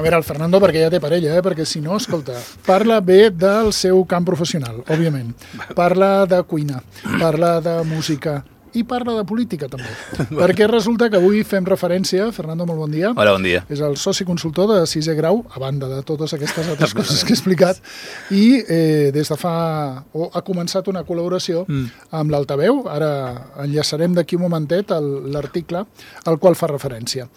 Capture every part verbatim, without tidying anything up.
A veure, el Fernando, perquè ja té parella, eh? Perquè si no, escolta, parla bé del seu camp professional, òbviament. Parla de cuina, parla de música i parla de política, també. Perquè resulta que avui fem referència, Fernando, molt bon dia. Hola, bon dia. És el soci consultor de sisè grau, a banda de totes aquestes altres coses que he explicat, i eh, des de fa... o ha començat una col·laboració mm. amb l'Altaveu. Ara enllaçarem d'aquí un momentet l'article al qual fa referència.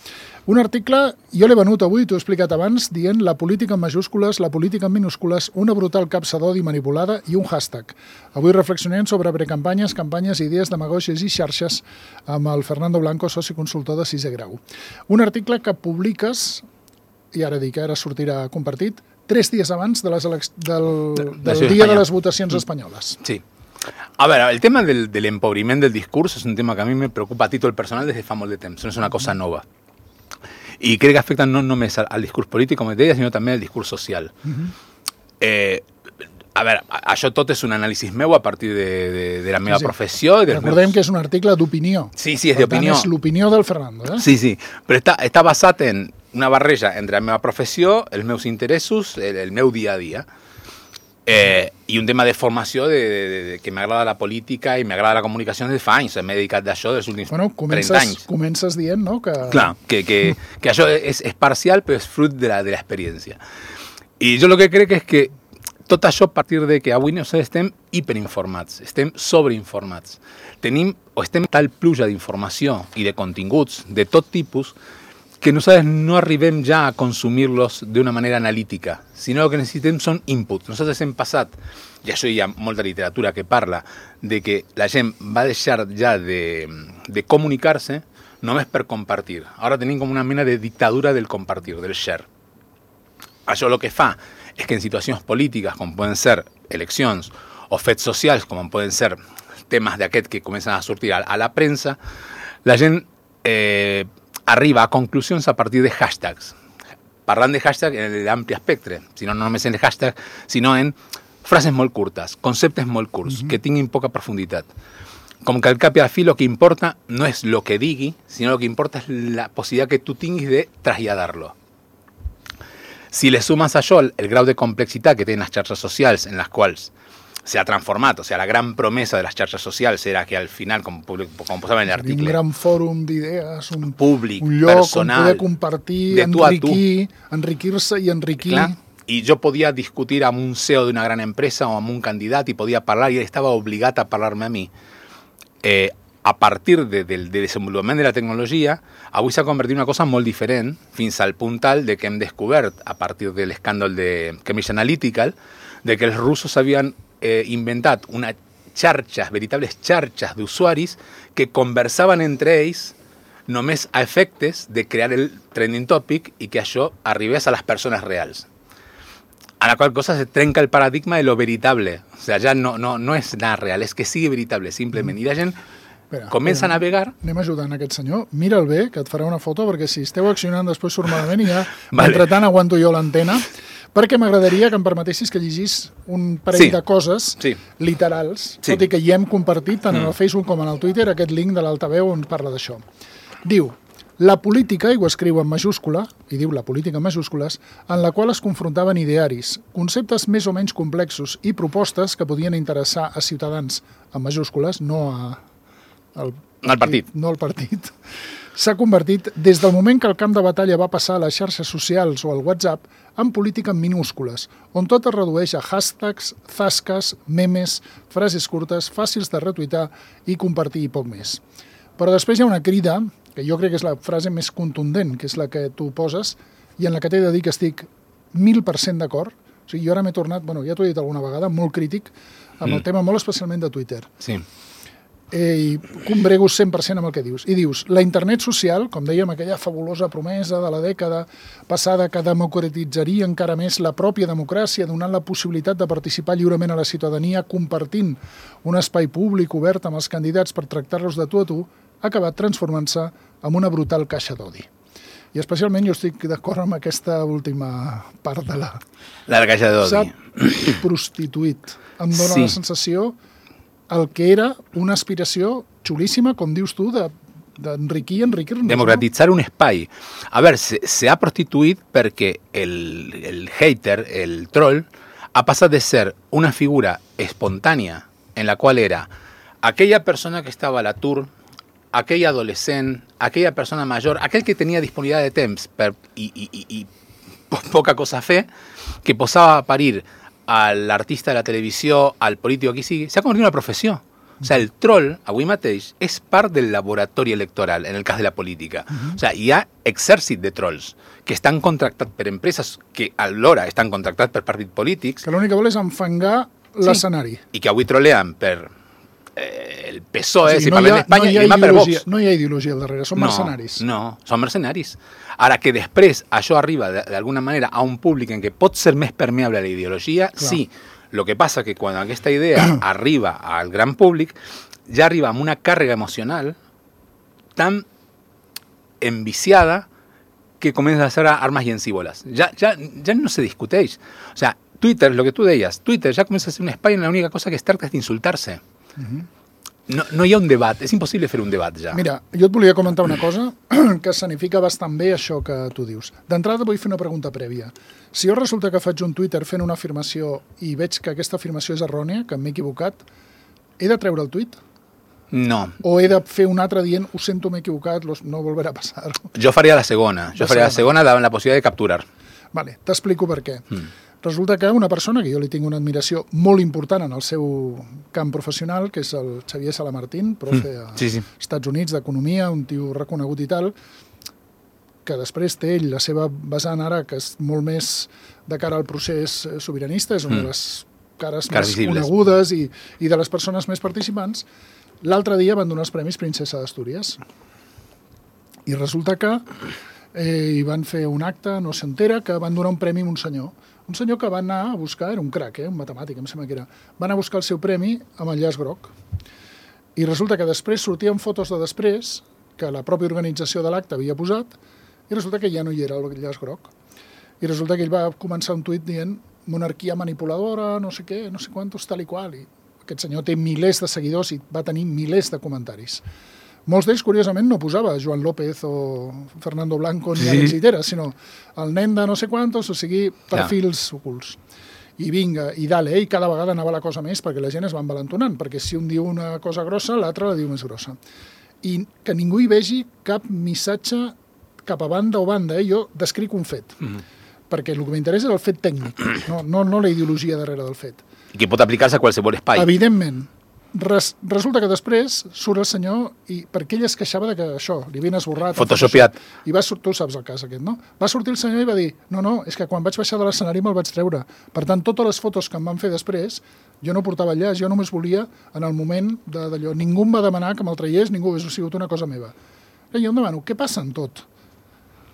Un article, jo l'he venut avui, t'ho he explicat abans, dient la política en majúscules, la política en minúscules, una brutal capsa d'odi manipulada i un hashtag. Avui reflexionem sobre precampanyes, campanyes, idees, demagògies i xarxes amb el Fernando Blanco, soci consultor de sisè grau. Un article que publiques, i ara dic, ara sortirà compartit, tres dies abans de les elec... del, del dia de les votacions espanyoles. Sí. A ver, el tema del, del empobriment del discurs és un tema que a mi me preocupa a títol personal des de fa molt de temps. No és una cosa nova. Y creo que afecta no només al, al discurs polític, com et deia, sinó també al discurs social. Uh-huh. eh, a veure, això tot és un anàlisi meu a partir de, de, de la meva sí, sí. professió. I Recordem meus... que és un article d'opinió. Sí, sí, és d'opinió. És l'opinió del Fernando. Eh? Sí, sí, però està, està basat en una barreja entre la meva professió, els meus interessos, el, el meu dia a dia. Eh, i un tema de formació de, de, de, que m'agrada la política i m'agrada la comunicació des de fa anys. M'he dedicat d'això dels últims bueno, comences, trenta anys. Comences dient, no? Que... Clar, que, que, que això és, és parcial, però és fruit de l'experiència. I jo el que crec és que tot això a partir de que avui nosaltres estem hiperinformats, estem sobreinformats. Tenim o estem tal pluja d'informació i de continguts de tot tipus que nosaltres no arribem ja a consumir-los d'una manera analítica, sinó que necessitem són inputs. Nosaltres hem passat, i això hi ha molta literatura que parla, de que la gent va deixar ja de, de comunicar-se només per compartir. Ara tenim com una mena de dictadura del compartir, del share. Això el que fa és que en situacions polítiques, com poden ser eleccions, o fets socials, com poden ser temes d'aquest que comencen a sortir a, a la premsa, la gent... Eh, arriba a conclusions a partir de hashtags. Parlant de hashtag en l'ampli espectre, si no, no només en el hashtag, sinó en frases molt curtes, conceptes molt curts, uh-huh. que tinguin poca profunditat. Com que al cap i al fi lo que importa no és lo que digui, sinó lo que importa és la possibilitat que tu tinguis de traslladar-lo. Si le sumas a això el, el grau de complexitat que tenen les xarxes socials en les quals se ha transformat, o sea, la gran promesa de las charlas sociales era que al final, como, como posaba en el artículo... Un gran fòrum d'idees, un, públic, un lloc personal, on poder compartir, enriquir, enriquir-se i enriquir. Clar, i jo podia discutir amb un C E O d'una gran empresa o amb un candidat i podia parlar i ell estava obligat a parlar-me a mi. Eh, a partir de, del de desenvolupament de la tecnologia, avui s'ha convertit en una cosa molt diferent, fins al punt tal de que hem descobert, a partir de l'escàndol de Cambridge Analytica, de que els russos havien Eh, inventat unes xarxes, veritables xarxes d'usuaris que conversaven entre ells només a efectes de crear el trending topic i que això arribés a les persones reals. A la qual cosa se trenca el paradigma de lo veritable. O sea, ja no, no, no és nada real, és que sigui veritable, simplement. I la gent espera, comença espera, a navegar... Anem ajudant aquest senyor. Mira'l bé, que et farà una foto, perquè si esteu accionant després surt malament i ja, vale. Entretant, aguanto jo l'antena. Perquè m'agradaria que em permetessis que llegís un parell sí. de coses sí. literals, sí. tot i que hi hem compartit tant mm. en el Facebook com en el Twitter aquest link de l'Altaveu on parla d'això. Diu, la política, i ho escriu en majúscula, i diu la política en majúscules, en la qual es confrontaven idearis, conceptes més o menys complexos i propostes que podien interessar a ciutadans en majúscules, no a, al, al partit. No al partit. S'ha convertit, des del moment que el camp de batalla va passar a les xarxes socials o al WhatsApp, en política en minúscules, on tot es redueix a hashtags, zasques, memes, frases curtes, fàcils de retuitar i compartir i poc més. Però després hi ha una crida, que jo crec que és la frase més contundent, que és la que tu poses, i en la que t'he de dir que estic mil per cent d'acord. O sigui, jo ara m'he tornat, bueno, ja t'ho he dit alguna vegada, molt crític, amb mm. el tema molt especialment de Twitter. Sí. Eh, i combrego cent per cent amb el que dius. I dius, la internet social, com dèiem, aquella fabulosa promesa de la dècada passada que democratitzaria encara més la pròpia democràcia, donant la possibilitat de participar lliurement a la ciutadania, compartint un espai públic obert amb els candidats per tractar-los de tu a tu, ha acabat transformant-se en una brutal caixa d'odi. I especialment jo estic d'acord amb aquesta última part de la... La caixa d'odi. S'ha prostituït. Em dóna sí. la sensació... el que era una aspiració xulíssima, com dius tu, de d'enriquir, enriquir-nos. Democratitzar un espai. A veure, s'ha prostituït perquè el, el hater, el troll, ha passat de ser una figura espontània en la qual era aquella persona que estava a l'atur, aquell adolescent, aquella persona major, aquell que tenia disponibilitat de temps per, i, i, i, i poca cosa a fer, que posava a parir a l'artista de la televisió, al polític, qui sigui, s'ha convertit en una professió. O sigui, el troll, avui mateix, és part del laboratori electoral, en el cas de la política. Uh-huh. O sigui, hi ha exèrcit de trolls que estan contractats per empreses que alhora estan contractats per partits polítics. Que l'únic que vol és enfangar l'escenari. Sí. I que avui trolean per eh, el P S O E, o sigui, si no parlem d'Espanya, no i demà per Vox. No hi ha ideologia al darrere, són no, mercenaris. No, són mercenaris. Ara que després això arriba d'alguna manera a un públic en què pot ser més permeable a la ideologia, clar. Sí. Lo que passa que quan aquesta idea arriba al gran públic, ja arriba amb una càrrega emocional tan enviciada que comença a ser armes llancívoles. Ja, ja, ja no se discuteix. O sea, Twitter, lo que tú deies, Twitter ja comença a ser un espai en la única cosa que es tracta és d'insultar-se. Uh-huh. No, no hi ha un debat, és impossible fer un debat ja. Mira, jo et volia comentar una cosa que escenifica bastant bé això que tu dius. D'entrada vull fer una pregunta prèvia. Si jo resulta que faig un Twitter fent una afirmació i veig que aquesta afirmació és errònia, que m'he equivocat, he de treure el tuit? No. O he de fer un altre dient, ho sento, m'he equivocat, no volverà a passar? Jo faria la segona. Jo faria la segona davant la possibilitat de capturar. Vale, t'explico per què. Mm. Resulta que una persona que jo li tinc una admiració molt important en el seu camp professional, que és el Xavier Salamartín, profe mm, sí, sí. als Estats Units d'Economia, un tio reconegut i tal, que després té ell la seva vessant ara, que és molt més de cara al procés sobiranista, és una mm. de les cares, cares més visibles. Conegudes i, i de les persones més participants. L'altre dia van donar els Premis Princesa d'Astúries. I resulta que eh, hi van fer un acte, no s'entera, que van donar un premi a un senyor. Un senyor que va anar a buscar, era un crac, eh, un matemàtic, em sembla que era, va anar a buscar el seu premi amb el llaç groc. I resulta que després sortien fotos de després, que la pròpia organització de l'acte havia posat, i resulta que ja no hi era el llaç groc. I resulta que ell va començar un tuit dient monarquia manipuladora, no sé què, no sé quantos, tal i qual. I aquest senyor té milers de seguidors i va tenir milers de comentaris. Molts d'ells, curiosament, no posava Joan López o Fernando Blanco ni sí. Alex Itera, sinó el nen de no sé quantos, o sigui, perfils ja. ocults. I vinga, i dale, i cada vegada anava la cosa més perquè la gent es va envalentonant, perquè si un diu una cosa grossa, l'altre la diu més grossa. I que ningú hi vegi cap missatge cap a banda o banda, eh? Jo descric un fet, mm-hmm. perquè el que m'interessa és el fet tècnic, no, no, no la ideologia darrere del fet. I que pot aplicar-se a qualsevol espai. Evidentment. Res, resulta que després surt el senyor i perquè ell es queixava de que això, li havien esborrat... Photoshopiat. I va, tu saps el cas aquest, no? Va sortir el senyor i va dir, no, no, és que quan vaig baixar de l'escenari me'l vaig treure. Per tant, totes les fotos que em van fer després, jo no portava llaç, jo només volia, en el moment d'allò, ningú em va demanar que me'l traiés, ningú hagués sigut una cosa meva. I jo em demano, què passa en tot?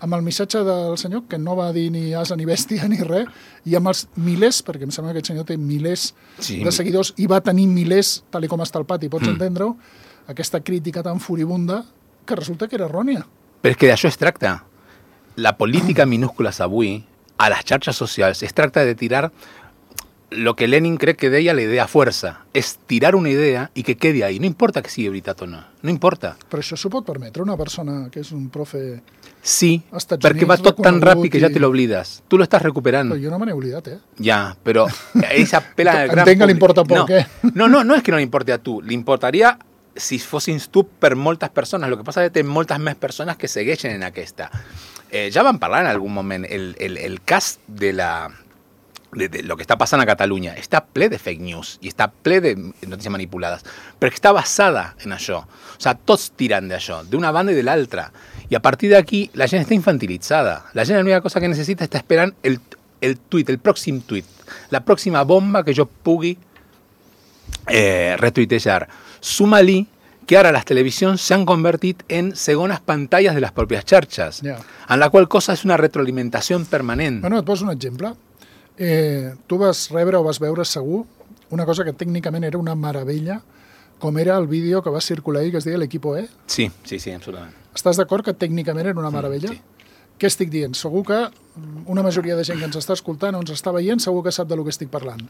Amb el missatge del senyor, que no va dir ni asa ni bèstia ni res, i amb els milers, perquè em sembla que aquest senyor té milers sí. de seguidors i va tenir milers, tal com està el pati, pots mm. entendre-ho, aquesta crítica tan furibunda que resulta que era errònia. Però és que d'això es tracta. La política minúscules avui, a les xarxes socials, es tracta de tirar lo que Lenin cree que deia la idea fuerza, és tirar una idea i que quedi ahí. No importa que sigui veritat o no, no importa. Però això s'ho pot permetre una persona que és un profe... Sí, perquè va tot tan ràpid que ja te l'oblides. Tu lo estàs recuperant. Però jo no me n'he oblidat, eh? Ja, però esa pela del gran Entenc que li importa poc, no, eh? No, no, no és que no li importi a tu. Li importaria si fossis tu per moltes persones. Lo que passa és que té moltes més persones que segueixen en aquesta. Eh, ja vam parlar en algun moment. El, el, el cas de la... De, de lo que està passant a Catalunya està ple de fake news i està ple de notícies manipulades, però està basada en això. O sigui, tots tiran d'això, d'una banda i de l'altra. I a partir d'aquí la gent està infantilitzada. La gent l'única cosa que necessita està esperant el, el tuit, el pròxim tuit, la pròxima bomba que jo pugui eh, retuitejar. Suma-li que ara les televisions s'han convertit en segones pantalles de les pròpies xarxes, yeah. en la qual cosa és una retroalimentació permanent. Bueno, et poso un exemple. Eh, tu vas rebre o vas veure segur una cosa que tècnicament era una meravella, com era el vídeo que va circular ahir, que es deia l'Equipo E. Sí, sí, sí, absolutament. Estàs d'acord que tècnicament era una meravella? Mm, sí. Què estic dient? Segur que una majoria de gent que ens està escoltant o ens està veient segur que sap de lo que estic parlant.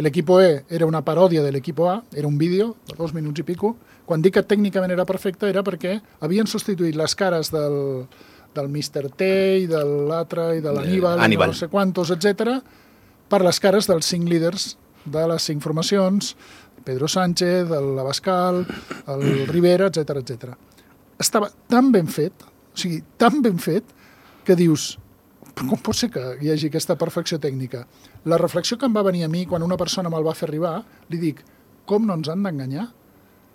l'Equipo E era una paròdia de l'Equipo A, era un vídeo de dos minuts i pico. Quan dic que tècnicament era perfecte era perquè havien substituït les cares del, del mister T i de l'altre i de l'Aníbal, eh, i no sé quantos, etcètera, per les cares dels cinc líders de les cinc formacions, Pedro Sánchez, l'Abascal, el Rivera, etcètera, etcètera. Estava tan ben fet, o sigui, tan ben fet, que dius, com pot ser que hi hagi aquesta perfecció tècnica? La reflexió que em va venir a mi quan una persona me'l va fer arribar, li dic, com no ens han d'enganyar?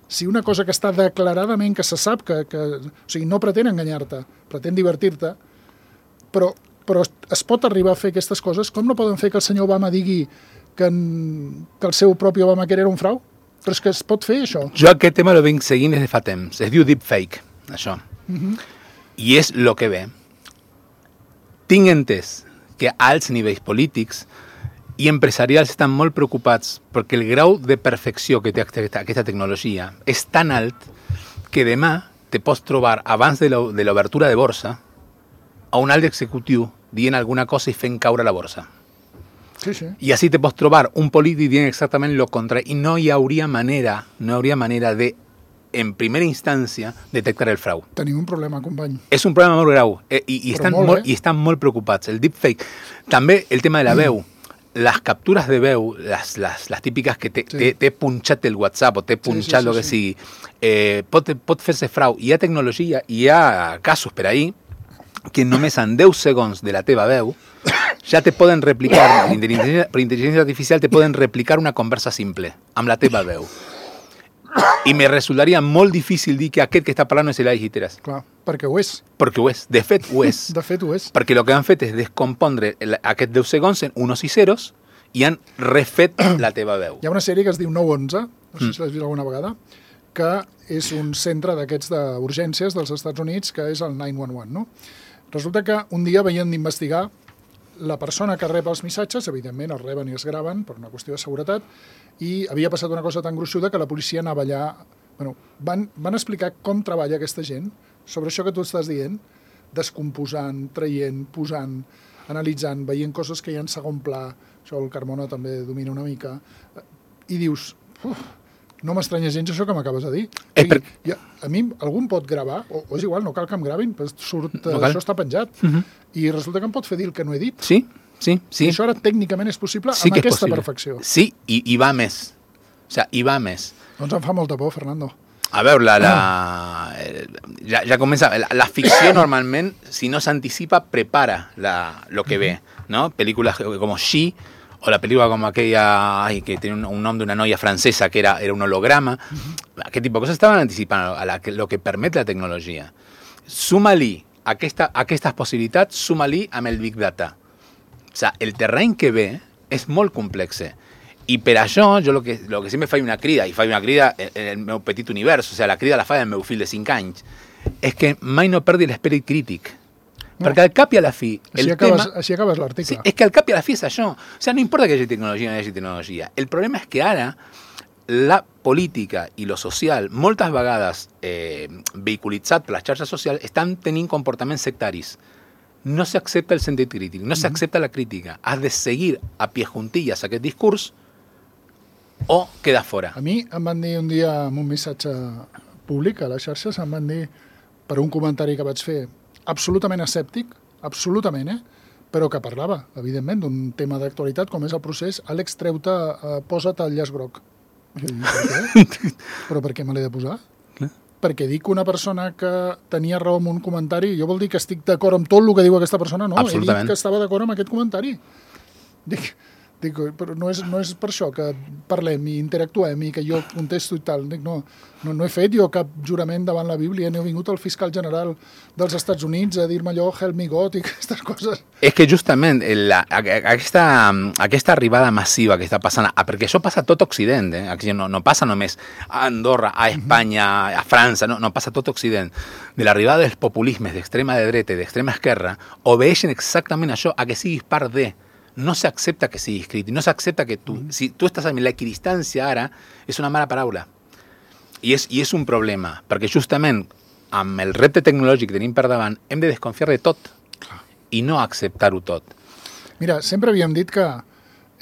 Si una cosa que està declaradament, que se sap que... que o sigui, no pretén enganyar-te, pretén divertir-te, però, però es pot arribar a fer aquestes coses, com no poden fer que el senyor Obama digui que, en, que el seu propi Obamacare era un frau? Però és que es pot fer, això. Jo aquest tema lo vinc seguint des de fa temps. Es diu deepfake, això. Uh-huh. I és lo que ve. Tinc entès que a alts nivells polítics i empresarials estan molt preocupats perquè el grau de perfecció que té aquesta tecnologia és tan alt que demà te pots trobar, abans de l'obertura de borsa, a un alt executiu dient alguna cosa i fent caure la borsa. Sí, sí. I així te pots trobar un polític dient exactament el contrari i no hi hauria manera, no hi hauria manera de, en primera instància, detectar el frau. Tenim un problema, company. És un problema molt greu eh, i, i, estan molt, molt, eh? i estan molt preocupats. El deepfake. També el tema de la veu. Les captures de veu, les, les, les típiques que t'he sí. punxat el WhatsApp o t'he punxat el sí, sí, sí, que sigui, eh, pot, pot fer-se frau. Hi ha tecnologia, hi ha casos per ahí que només en deu segons de la teva veu ja te poden replicar, per intel·ligència artificial, te poden replicar una conversa simple amb la teva veu. I me resultaria molt difícil dir que aquest que està parlant és l'Elai Giteras. Clar, perquè ho és. Perquè ho és, de fet ho és. De fet ho és. Perquè el que han fet és descompondre aquests deu segons en unos i ceros i han refet la teva veu. Hi ha una sèrie que es diu nou onze, no sé si l'has vist alguna vegada, que és un centre d'aquests d'urgències dels Estats Units, que és el nou un un, no? Resulta que un dia veien d'investigar la persona que rep els missatges, evidentment els reben i es graven per una qüestió de seguretat, i havia passat una cosa tan gruixuda que la policia anava allà... Bueno, van, van explicar com treballa aquesta gent sobre això que tu estàs dient, descomposant, traient, posant, analitzant, veient coses que hi ha en segon pla, això el Carmona també domina una mica, i dius, uf, no m'estranya gens això que m'acabes de dir. O sigui, per... ja, a mi algú em pot gravar, o, o és igual, no cal que em gravin, però surt, no això està penjat, uh-huh. i resulta que em pot fer dir el que no he dit. Sí, sí, sí. I això ara tècnicament és possible sí amb aquesta possible. perfecció. Sí, i, i va més. O sigui, i va més. Doncs em fa molta por, Fernando. A veure, la, la, ja, ja comença... La, la ficció normalment, si no s'anticipa, prepara la, lo que ve, ¿no? Pel·lícules com She, o la pel·lícula com aquella ay, que tiene un, un nom d'una noia francesa que era, era un holograma. Uh-huh. Aquest tipus de coses estaven anticipant a la, a lo que permet la tecnologia. Suma-li aquesta, aquestes possibilitats, suma-li amb el Big Data. O sigui, el terreny que ve és molt complex. I per això, jo el que, lo que sempre faig una crida, i faig una crida en el meu petit univers, o sigui, la crida la faig el meu fill de cinc anys, és que mai no perdi l'esperit crític. No. Perquè al cap i a la fi... Així el acabes, tema, així acabes l'article. Sí, és que al cap i a la fi és això. O sigui, no importa que hi hagi tecnologia o no hi hagi tecnologia. El problema és que ara la política i lo social, moltes vegades eh, vehiculitzat per les xarxes socials, estan tenint comportaments sectaris. No s'accepta el sentit crític, no s'accepta la crítica. Has de seguir a pie juntillas aquest discurs o queda fora. A mi em van dir un dia amb un missatge públic a les xarxes, em van dir, per un comentari que vaig fer, absolutament escèptic, absolutament, eh? Però que parlava, evidentment, d'un tema d'actualitat com és el procés, Àlex, treu-te, eh, posa't el llaç groc. I jo dic, per què? Però per què me l'he de posar? Clar. Perquè dic una persona que tenia raó en un comentari, jo vol dir que estic d'acord amb tot el que diu aquesta persona, no, he dit que estava d'acord amb aquest comentari. Dic, dic però no és, no és per això que parlem i interactuem i que jo contesto i tal. Dic, no, no, no he fet jo cap jurament davant la Bíblia, no he vingut al fiscal general dels Estats Units a dir-me allò, help me God i aquestes coses. És que justament la, aquesta, aquesta arribada massiva que està passant, perquè això passa a tot Occident, eh? no, no passa només a Andorra, a Espanya, a França, no, no passa a tot Occident, de l'arribada dels populismes d'extrema de dreta i d'extrema esquerra, obeixen exactament això, a que siguis part de. No s'accepta que siguis crític, no s'accepta que tu... Si tu estàs amb l'equidistància ara, és una mala paraula. I és, I és un problema, perquè justament amb el repte tecnològic que tenim per davant hem de desconfiar de tot i no acceptar-ho tot. Mira, sempre havíem dit que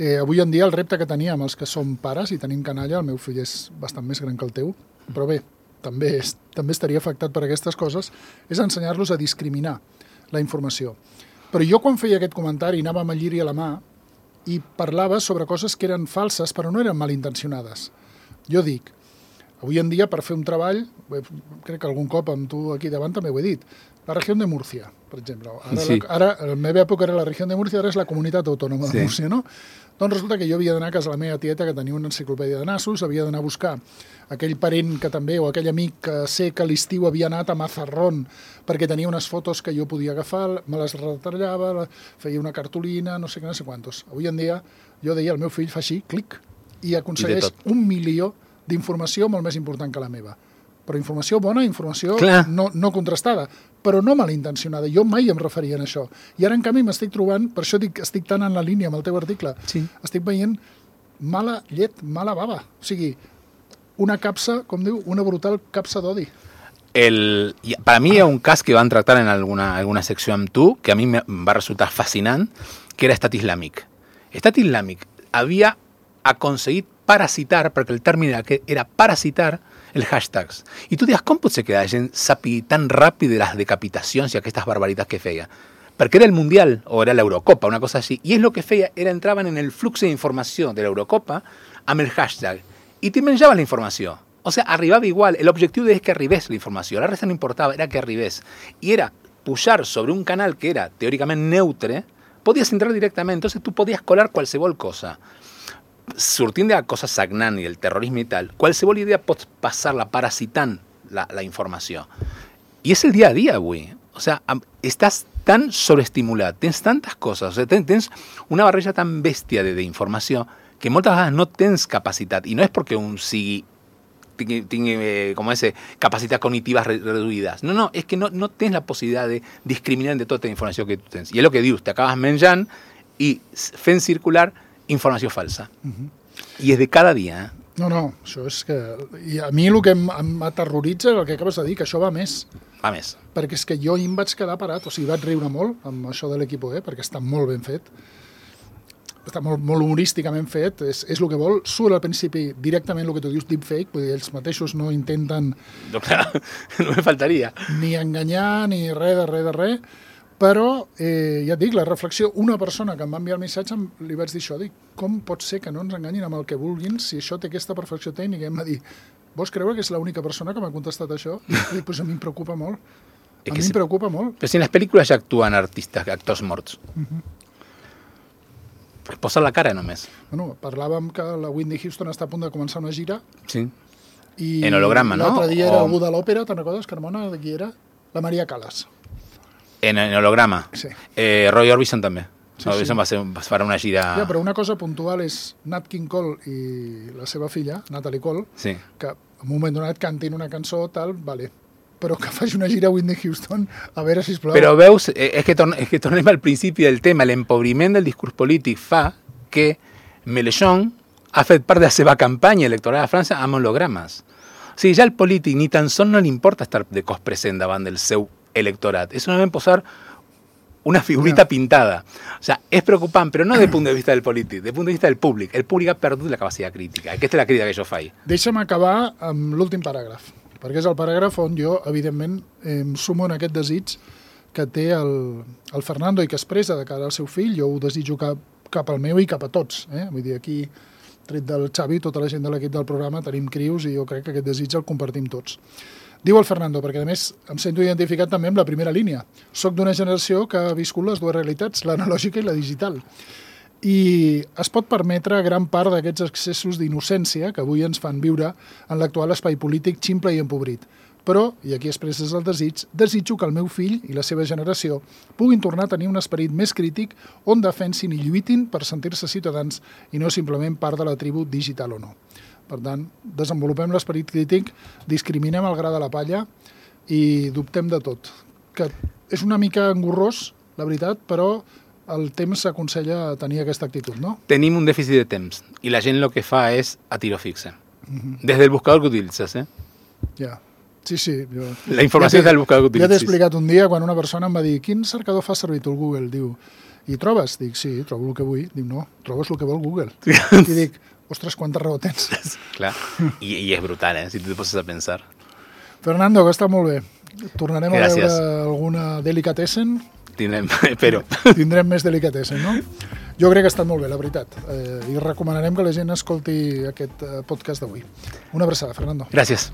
Eh, avui en dia el repte que teníem els que som pares i tenim canalla, el meu fill és bastant més gran que el teu, però bé, també, és, també estaria afectat per aquestes coses, és ensenyar-los a discriminar la informació. Però jo quan feia aquest comentari anava amb el lliri a la mà i parlava sobre coses que eren falses però no eren malintencionades. Jo dic, avui en dia per fer un treball, crec que algun cop amb tu aquí davant també ho he dit, la regió de Múrcia, per exemple. Ara, sí. la, ara a la meva època era la regió de Múrcia, ara és la comunitat autònoma de sí. Múrcia, no? Doncs resulta que jo havia d'anar a casa de la meva tieta que tenia una enciclopèdia de nassos, havia d'anar a buscar aquell parent que també, o aquell amic que sé que a l'estiu havia anat a Mazarrón perquè tenia unes fotos que jo podia agafar, me les retallava, feia una cartolina, no sé què, no sé quantos. Avui en dia, jo deia, el meu fill fa així, clic, i aconsegueix I un milió d'informació molt més important que la meva. Però informació bona, informació no, no contrastada, però no malintencionada. Jo mai em referia a això. I ara, en canvi, m'estic trobant, per això dic, estic tan en la línia amb el teu article, sí. estic veient mala llet, mala bava. O sigui, una capsa, com diu, una brutal capsa d'odi. El, para mí hay un cas que van a tractar en alguna, alguna secció amb tu, que a mi me va resultar fascinant, que era Estat Islàmic. Estat Islàmic havia aconseguit parasitar, perquè el terme era, era parasitar, el hashtags. I tu dius, com pot ser que la gent sàpiga tan ràpid de les decapitacions i aquestes barbaritats que feia? Perquè era el Mundial, o era l'Eurocopa, una cosa així, i és el que feia, era entraven en el flux d'informació de l'Eurocopa amb el hashtag, i te menjaven la informació. O sea, arribava igual, l'objectiu és que arribés la informació, la resta no importava, era que arribés. I era pujar sobre un canal que era teòricament neutre, podies entrar directament, entonces tu podies colar qualsevol cosa. Sortint de la cosa sagnant i el terrorisme i tal, qualsevol idea pots passar-la parasitant la, la informació. I és el dia a dia avui. O sea, estàs tan sobreestimulat, tens tantes coses, o sea, tens una barreja tan bèstia d'informació que moltes vegades no tens capacitat, i no és perquè un sigui tingui, tingui eh, com ese, capacitats cognitives reduïdes. No, no, és que no, no tens la possibilitat de discriminar de tota la informació que tu tens. I és el que dius, t'acabes menjant i fent circular informació falsa. Uh-huh. I és de cada dia. Eh? No, no, això és que... I a mi el que m'aterroritza és el que acabes de dir, que això va més. Va més. Perquè és que jo hi em vaig quedar parat, o sigui, vaig riure molt amb això de l'Equipo E, perquè està molt ben fet, està molt, molt humorísticament fet, és, és el que vol, surt al principi directament el que tu dius deepfake, vull dir, ells mateixos no intenten... No, clar, no me faltaria. Ni enganyar, ni res de res de res, però, eh, ja et dic, la reflexió, una persona que em va enviar el missatge, li vaig dir això, dic, com pot ser que no ens enganyin amb el que vulguin si això té aquesta perfecció tècnica? I em va dir, vols creure que és l'única persona que m'ha contestat això? I dic, pues a mi em preocupa molt. A mi em preocupa molt. Però si en les pel·lícules ja actuen artistes, actors morts. Uh-huh. Es posa la cara només. Bueno, parlàvem que la Whitney Houston està a punt de començar una gira. Sí. I en holograma, no? L'altre dia era algú de l'òpera, te'n recordes, Carmona? De qui era? La Maria Callas. En, en holograma. Sí. Eh, Roy Orbison també. Sí, Orbison sí. va, ser, va fer una gira... Ja, però una cosa puntual és Nat King Cole i la seva filla, Natalie Cole, sí. que en un moment donat cantin una cançó, tal, vale, però que faci una gira a Whitney Houston, a veure, sisplau. Però veus, és que, torn, és que tornem al principi del tema, l'empobriment del discurs polític fa que Mélenchon ha fet part de la seva campanya electoral a França amb hologrames. O sigui, ja el polític ni tan sols no li importa estar de cos present davant del seu electorat. És solament posar una figurita yeah. pintada. O sea, és preocupant, però no des del punt de vista del polític, des del punt de vista del públic. El públic ha perdut la capacitat crítica. Aquesta és la crítica que jo faig. Deixa'm acabar amb l'últim paràgraf, perquè és el paràgraf on jo, evidentment, em sumo en aquest desig que té el, el Fernando i que expressa de cara al seu fill. Jo ho desitjo cap, cap al meu i cap a tots. Eh? Vull dir, aquí, tret del Xavi, tota la gent de l'equip del programa, tenim crius i jo crec que aquest desig el compartim tots. Diu el Fernando, perquè a més em sento identificat també amb la primera línia. Soc d'una generació que ha viscut les dues realitats, l'analògica i la digital. I es pot permetre gran part d'aquests excessos d'innocència que avui ens fan viure en l'actual espai polític ximple i empobrit. Però, i aquí expresses el desig, desitjo que el meu fill i la seva generació puguin tornar a tenir un esperit més crític on defensin i lluitin per sentir-se ciutadans i no simplement part de la tribu digital o no. Per tant, desenvolupem l'esperit crític, discriminem el gra de la palla i dubtem de tot. Que és una mica engorrós, la veritat, però el temps s'aconsella tenir aquesta actitud, no? Tenim un dèficit de temps i la gent el que fa és a tiro fixe. Uh-huh. Des del buscador que utilitzes, eh? Ja. Sí, sí. Jo... La informació ja és del buscador que utilitzes. Ja t'he explicat un dia quan una persona em va dir quin cercador fa servir tu el Google? Diu, I trobes? Dic, sí, trobo el que vull. Dic, no, trobes el que vol Google. I dic, ostres, quanta raó tens. Clar, I, i és brutal, eh? Si tu te poses a pensar. Fernando, que està molt bé. Tornarem Gràcies. a veure alguna delicatessen. Tindrem, espero. Tindrem més delicatessen, no? Jo crec que ha estat molt bé, la veritat. Eh, I recomanarem que la gent escolti aquest podcast d'avui. Una abraçada, Fernando. Gràcies.